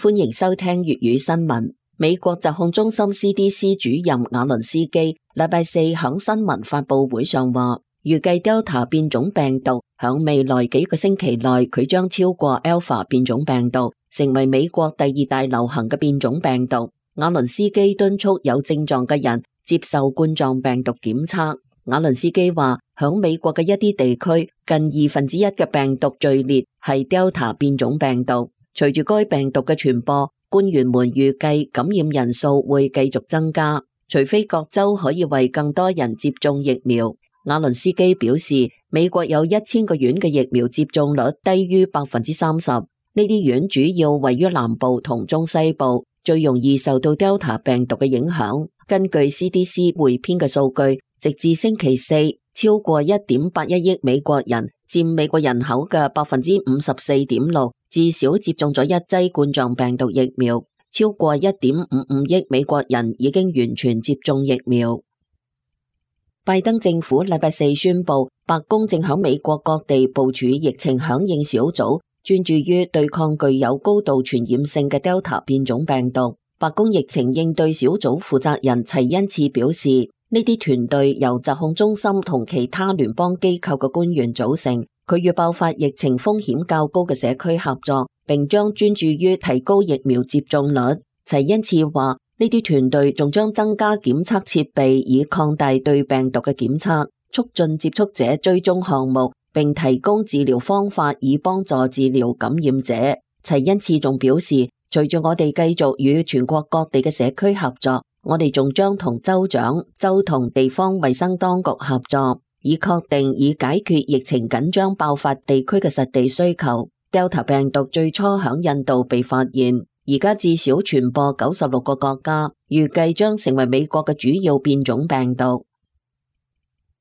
歡迎收聽粵語新聞。美國疾控中心 CDC 主任瓦倫斯基禮拜四響新聞發佈會上話，預計 Delta 變種病毒響未來幾個星期內，佢將超過 Alpha 變種病毒，成為美國第二大流行嘅變種病毒。瓦倫斯基敦促有症狀嘅人接受冠狀病毒檢測。瓦倫斯基話，響美國嘅一啲地區，近1/2嘅病毒序列係 Delta 變種病毒。隨住該病毒嘅傳播，官員們預計感染人數會繼續增加，除非各州可以為更多人接種疫苗。瓦倫斯基表示，美國有1000個縣嘅疫苗接種率低於30%，呢啲縣主要位於南部同中西部，最容易受到 Delta 病毒嘅影響。根據 CDC 匯編嘅數據，直至星期四，超過1.81億美國人，佔美國人口嘅54.6%，至少接種咗一劑冠狀病毒疫苗。超過1.55億美國人已經完全接種疫苗。拜登政府禮拜四宣布，白宮正響美國各地部署疫情響應小組，專注於對抗具有高度傳染性嘅 Delta 變種病毒。白宮疫情應對小組負責人齊恩次表示，呢啲團隊由疾控中心同其他聯邦機構嘅官員組成，佢與爆發疫情風險較高嘅社區合作，並將專注於提高疫苗接種率。齊恩次話，呢啲團隊仲將增加檢測設備，以擴大對病毒嘅檢測，促進接觸者追蹤項目，並提供治療方法以幫助治療感染者。齊恩次仲表示，隨住我哋繼續與全國各地嘅社區合作，我哋仲將同州長、州同地方衛生當局合作，以確定以解決疫情緊張爆發地區嘅實地需求。Delta 病毒最初響印度被發現，而家至少傳播96個國家，預計將成為美國嘅主要變種病毒。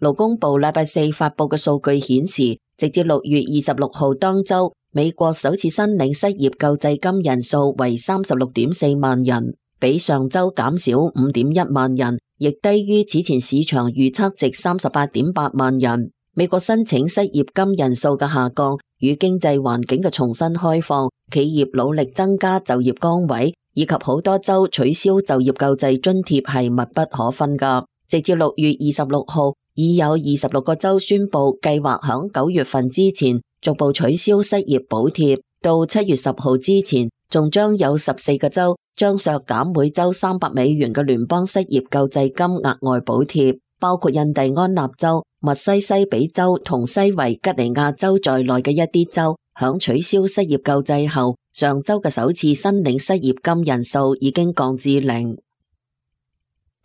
勞工部禮拜四發佈嘅數據顯示，直至6月26號當周，美國首次申領失業救濟金人數為36.4萬人，比上周減少5.1萬人，亦低於此前市場預測值38.8萬人。美國申請失業金人數嘅下降與經濟環境嘅重新開放、企業努力增加就業崗位以及好多州取消就業救濟津貼係密不可分㗎。直至6月26號，已有26個州宣布計劃響9月份之前逐步取消失業補貼，到7月10號之前，仲將有14個州將削減每周300美元嘅聯邦失業救濟金額外補貼，包括印第安納州、密西西比州同西維吉尼亞州在內嘅一啲州，響取消失業救濟後，上周嘅首次申領失業金人數已經降至0。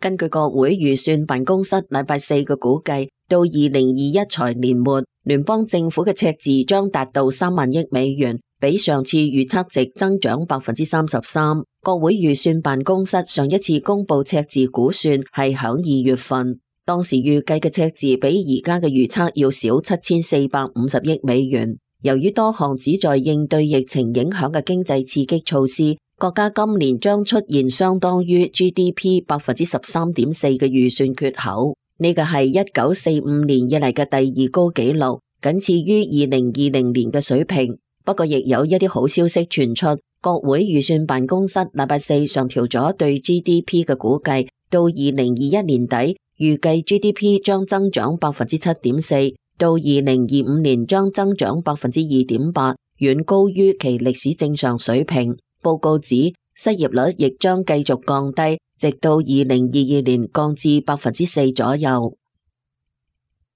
根據國會預算辦公室禮拜四嘅估計，到2021財年末，聯邦政府嘅赤字將達到3萬億美元，比上次預測值增長33%。國會預算辦公室上一次公布赤字估算係響2月份，當時預計嘅赤字比而家嘅預測要少7450億美元。由於多項旨在應對疫情影響嘅經濟刺激措施，國家今年將出現相當於 GDP 13.4% 嘅預算缺口，呢個係1945年以嚟嘅第2高紀錄，僅次於2020年嘅水平。不過亦有一啲好消息傳出，國會預算辦公室禮拜四上調咗對 GDP 嘅估計，到2021年底，預計 GDP 將增長 7.4%， 到2025年將增長 2.8%， 遠高於其歷史正常水平。報告指失業率亦將繼續降低，直到2022年降至 4% 左右。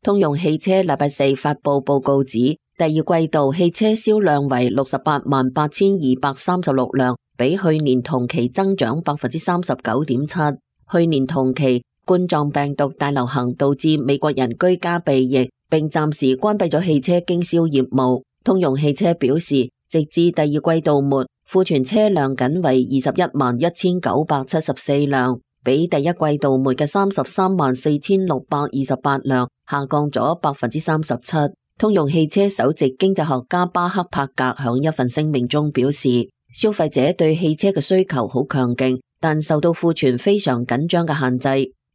通用汽車禮拜四發佈報告指，第二季度汽車銷量為688236輛，比去年同期增長 39.7%。去年同期，冠狀病毒大流行導致美國人居家避疫，並暫時關閉咗汽車經銷業務。通用汽車表示，直至第二季度末，庫存車輛僅為211974輛，比第一季度末嘅334628輛下降咗 37%。通用汽車首席經濟學家巴克帕格響一份聲明中表示，消費者對汽車嘅需求好強勁，但受到庫存非常緊張嘅限制。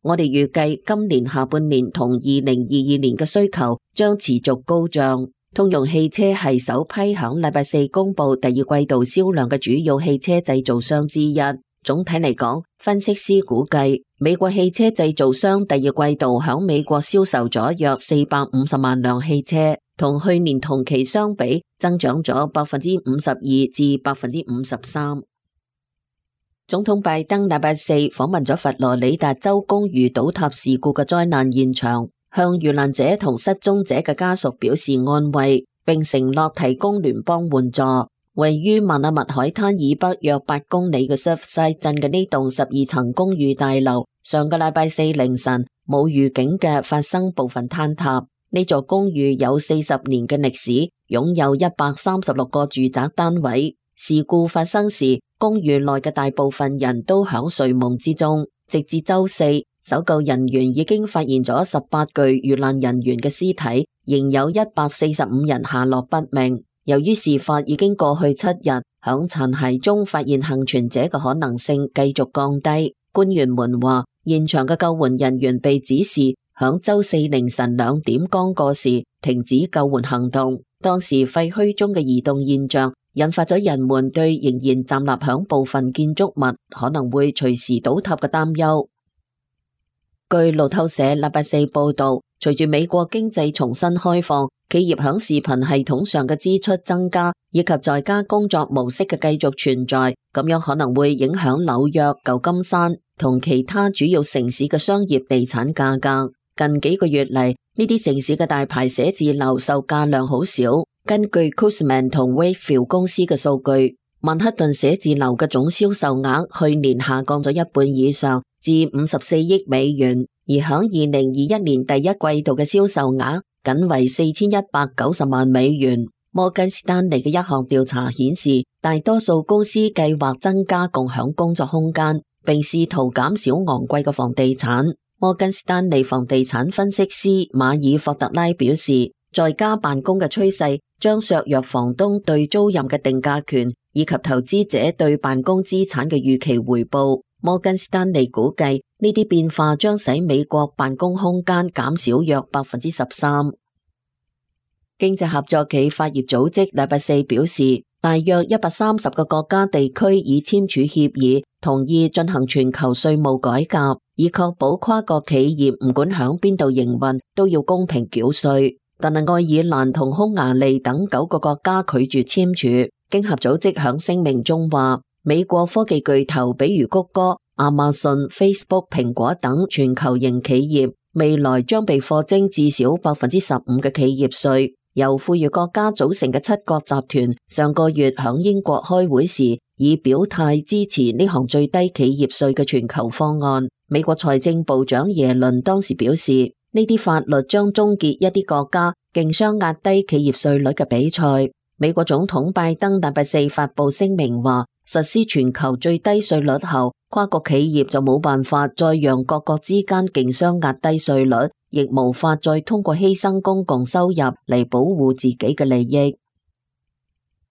我哋預計今年下半年同2022年嘅需求將持續高漲。通用汽車係首批響禮拜四公布第二季度銷量嘅主要汽車製造商之一。總體嚟講，分析師估計美國汽車製造商第二季度響美國銷售咗約450萬輛汽車，同去年同期相比增長咗52%至53%。總統拜登禮拜四訪問咗佛羅里達州公寓倒塌事故嘅災難現場，向遇難者同失蹤者嘅家屬表示安慰，並承諾提供聯邦援助。位於邁阿密海灘以北約8公里嘅 Surfside 鎮嘅呢棟12層公寓大樓，上個禮拜四凌晨冇預警嘅發生部分坍塌。呢座公寓有40年嘅歷史，擁有136個住宅單位。事故發生時，公寓內嘅大部分人都響睡夢之中。直至周四，搜救人員已經發現咗18具遇難人員嘅屍體，仍有145人下落不明。由於事發已經過去7日，響殘骸中發現幸存者嘅可能性繼續降低。官員們話，現場嘅救援人員被指示響周四凌晨2點剛過時停止救援行動。當時廢墟中嘅移動現象引發咗人們對仍然站立響部分建築物可能會隨時倒塌嘅擔憂。據路透社禮拜四報道，隨住美國經濟重新開放，企業響視頻系統上嘅支出增加，以及在家工作模式嘅繼續存在，咁樣可能會影響紐約、舊金山同其他主要城市嘅商業地產價格。近幾個月嚟，呢啲城市嘅大牌寫字樓售價量好少。根據 Cushman 同 Wakefield 公司嘅數據，曼克頓寫字樓嘅總銷售額去年下降咗一半以上，至54億美元，而響2021年第一季度嘅銷售額僅為4190萬美元。摩根士丹利嘅一項調查顯示，大多數公司計劃增加共享工作空間，並試圖減少昂貴嘅房地產。摩根士丹利房地產分析師馬爾霍特拉表示，在家辦公嘅趨勢將削弱房東對租賃嘅定價權，以及投資者對辦公資產嘅預期回報。摩根士丹利估計呢啲變化將使美國辦公空間減少約13%。經濟合作暨發業組織禮拜四表示，大約130個國家地區已簽署協議，同意進行全球稅務改革，以確保跨國企業唔管響邊度營運都要公平繳稅。但係愛爾蘭同匈牙利等9個國家拒絕簽署。經合組織響聲明中話，美國科技巨頭比如谷歌、亞馬遜、Facebook、蘋果等全球型企業，未來將被課徵至少15%嘅企業稅。由富裕國家組成嘅7國集團上個月響英國開會時，已表態支持呢項最低企業稅嘅全球方案。美國財政部長耶倫當時表示，呢啲法律將終結一啲國家競相壓低企業稅率嘅比賽。美國總統拜登禮拜四發佈聲明話，實施全球最低稅率後，跨國企業就冇辦法再讓各國之間競相壓低稅率，亦無法再通過犧牲公共收入嚟保護自己嘅利益。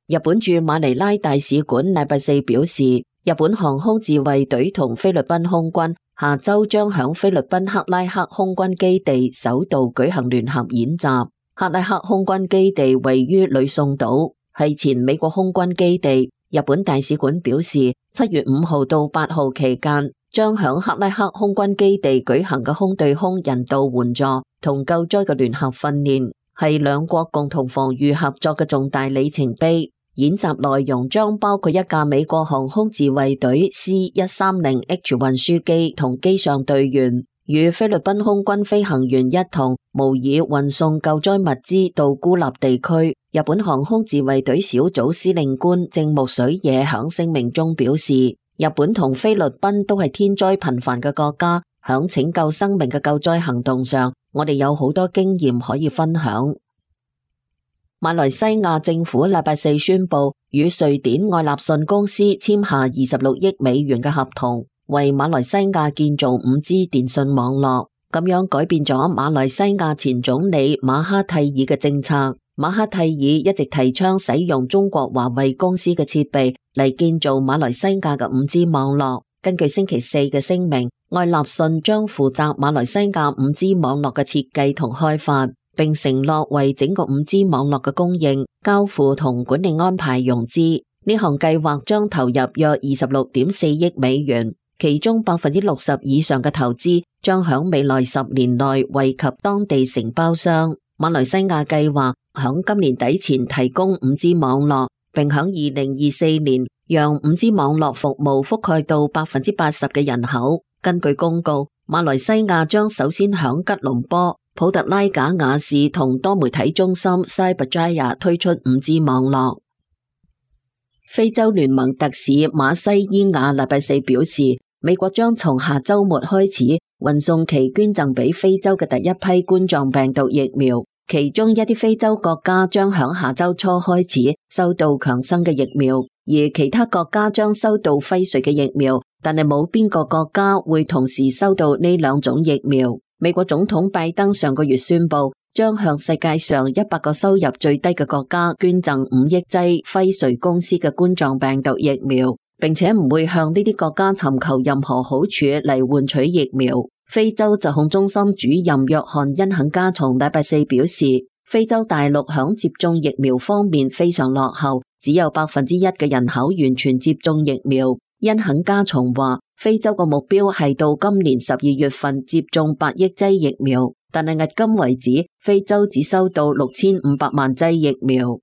日本駐馬尼拉大使館禮拜四表示，日本航空自衛隊同菲律賓空軍下周將響菲律賓克拉克空軍基地首度舉行聯合演習。克拉克空軍基地位於呂宋島，係前美國空軍基地。日本大使館表示，7月5號到8號期間，將響克拉克空軍基地舉行嘅空對空人道援助同救災嘅聯合訓練，係兩國共同防禦合作嘅重大里程碑。演習內容將包括一架美國航空自衛隊 C-130H 運輸機同機上隊員，與菲律賓空軍飛行員一同模擬運送救災物資到孤立地區。日本航空自衛隊小組司令官正木水野響聲明中表示，日本同菲律賓都係天災頻繁嘅國家，響拯救生命嘅救災行動上，我哋有好多經驗可以分享。馬來西亞政府禮拜四宣布，與瑞典愛立信公司簽下26億美元嘅合同，為馬來西亞建造 5G 電信網絡，咁樣改變咗馬來西亞前總理馬哈蒂爾嘅政策。馬哈蒂爾一直提倡使用中國華為公司嘅設備嚟建造馬來西亞嘅 5G 網絡。根據星期四嘅聲明，愛立信將負責馬來西亞 5G 網絡嘅設計同開發。並承諾為整個 5G 網絡嘅供應、交付同管理安排融資。呢項計劃將投入約26.4億美元，其中60%以上嘅投資將響未來10年內惠及當地承包商。馬來西亞計劃響今年底前提供 5G 網絡，並響2024年讓 5G 網絡服務覆蓋到80%嘅人口。根據公告，馬來西亞將首先響吉隆坡、普特拉賈雅市同多媒體中心 Cyberjaya 推出 5G 網絡。非洲聯盟特使馬西伊亞禮拜四表示，美國將從下周末開始運送其捐贈俾非洲嘅第一批冠狀病毒疫苗，其中一啲非洲國家將響下周初開始收到強生嘅疫苗，而其他國家將收到輝瑞嘅疫苗，但係冇邊個國家會同時收到呢兩種疫苗。美國總統拜登上個月宣布，將向世界上100個收入最低嘅國家捐贈5億劑輝瑞公司嘅冠狀病毒疫苗，並且唔會向呢啲國家尋求任何好處嚟換取疫苗。非洲疾控中心主任約翰恩肯加松禮拜四表示，非洲大陸響接種疫苗方面非常落後，只有1%嘅人口完全接種疫苗。恩肯加松話，非洲個目標係到今年12月份接種8億劑疫苗，但係迄今為止，非洲只收到6500萬劑疫苗。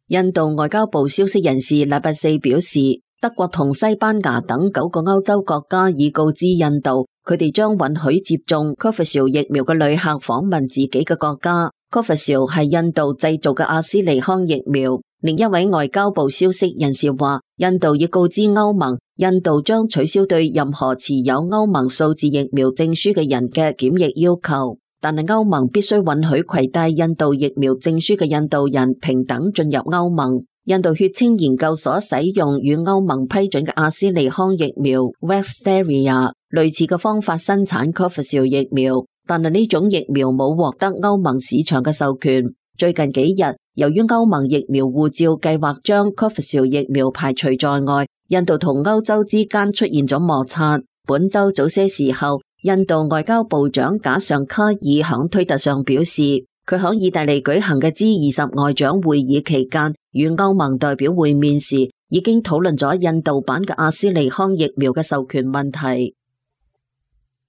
印度外交部消息人士禮拜四表示，德國同西班牙等9個歐洲國家已告知印度，佢哋將允許接種 Covishield 疫苗嘅旅客訪問自己嘅國家。Covishield 係印度製造嘅阿斯利康疫苗。另一位外交部消息人士話，印度已告知歐盟，印度將取消對任何持有歐盟數字疫苗證書嘅人嘅檢疫要求，但係歐盟必須允許攜帶印度疫苗證書嘅印度人平等進入歐盟。印度血清研究所使用與歐盟批准嘅阿斯利康疫苗 Vaxzevria 類似嘅方法生產 Covishield 疫苗，但係呢種疫苗冇獲得歐盟市場嘅授權。最近幾日，由於歐盟疫苗護照計劃將 Covishield 疫苗排除在外，印度同歐洲之間出現咗摩擦。本周早些時候，印度外交部長賈尚卡爾響推特上表示，佢響意大利舉行嘅 G20 外長會議期間，與歐盟代表會面時，已經討論咗印度版嘅阿斯利康疫苗嘅授權問題。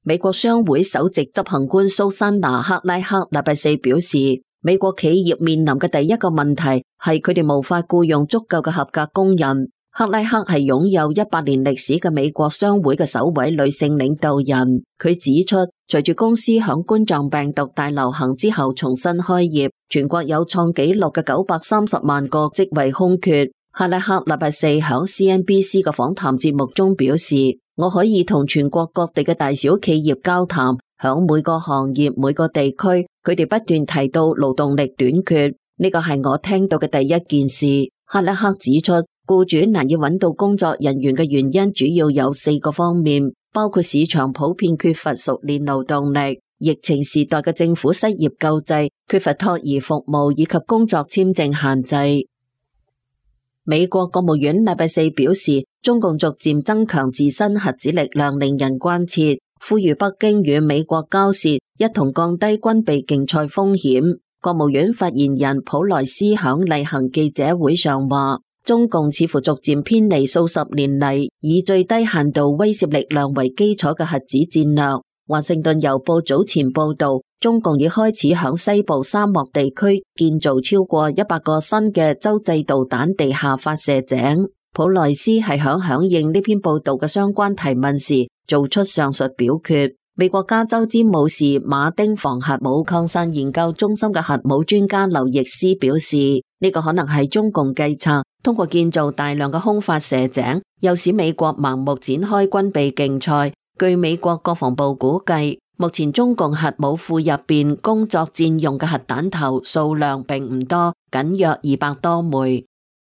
美國商會首席執行官蘇珊娜克拉克禮拜四表示，美國企業面臨嘅第一個問題係佢哋無法僱用足夠嘅合格工人。克拉克係擁有100年歷史嘅美國商會嘅首位女性領導人。佢指出，隨住公司響冠狀病毒大流行之後重新開業，全國有創紀錄嘅930萬個職位空缺。克拉克禮拜四響 CNBC 嘅訪談節目中表示，我可以同全國各地嘅大小企業交談，響每個行業每個地區，佢哋不斷提到勞動力短缺，呢個係我聽到嘅第一件事。克拉克指出，僱主難以揾到工作人員嘅原因主要有4個方面，包括市場普遍缺乏熟練勞動力、疫情時代嘅政府失業救濟、缺乏托兒服務以及工作簽證限制。美國國務院禮拜四表示，中共逐漸增強自身核子力量令人關切，呼籲北京與美國交涉，一同降低軍備競賽風險。國務院發言人普萊斯響例行記者會上話，中共似乎逐漸偏離數十年嚟以最低限度威懾力量為基礎嘅核子戰略。華盛頓郵報早前報道，中共已開始響西部沙漠地區建造超過100個新嘅洲際導彈地下發射井。普萊斯係響應呢篇報道嘅相關提問時做出上述表決。美國加州詹姆士馬丁防核武擴散研究中心嘅核武專家劉易斯表示，呢個可能係中共計策，通過建造大量嘅空發射井，又使美國盲目展開軍備競賽。據美國國防部估計，目前中共核武庫入邊工作戰用嘅核彈頭數量並唔多，僅約200多枚。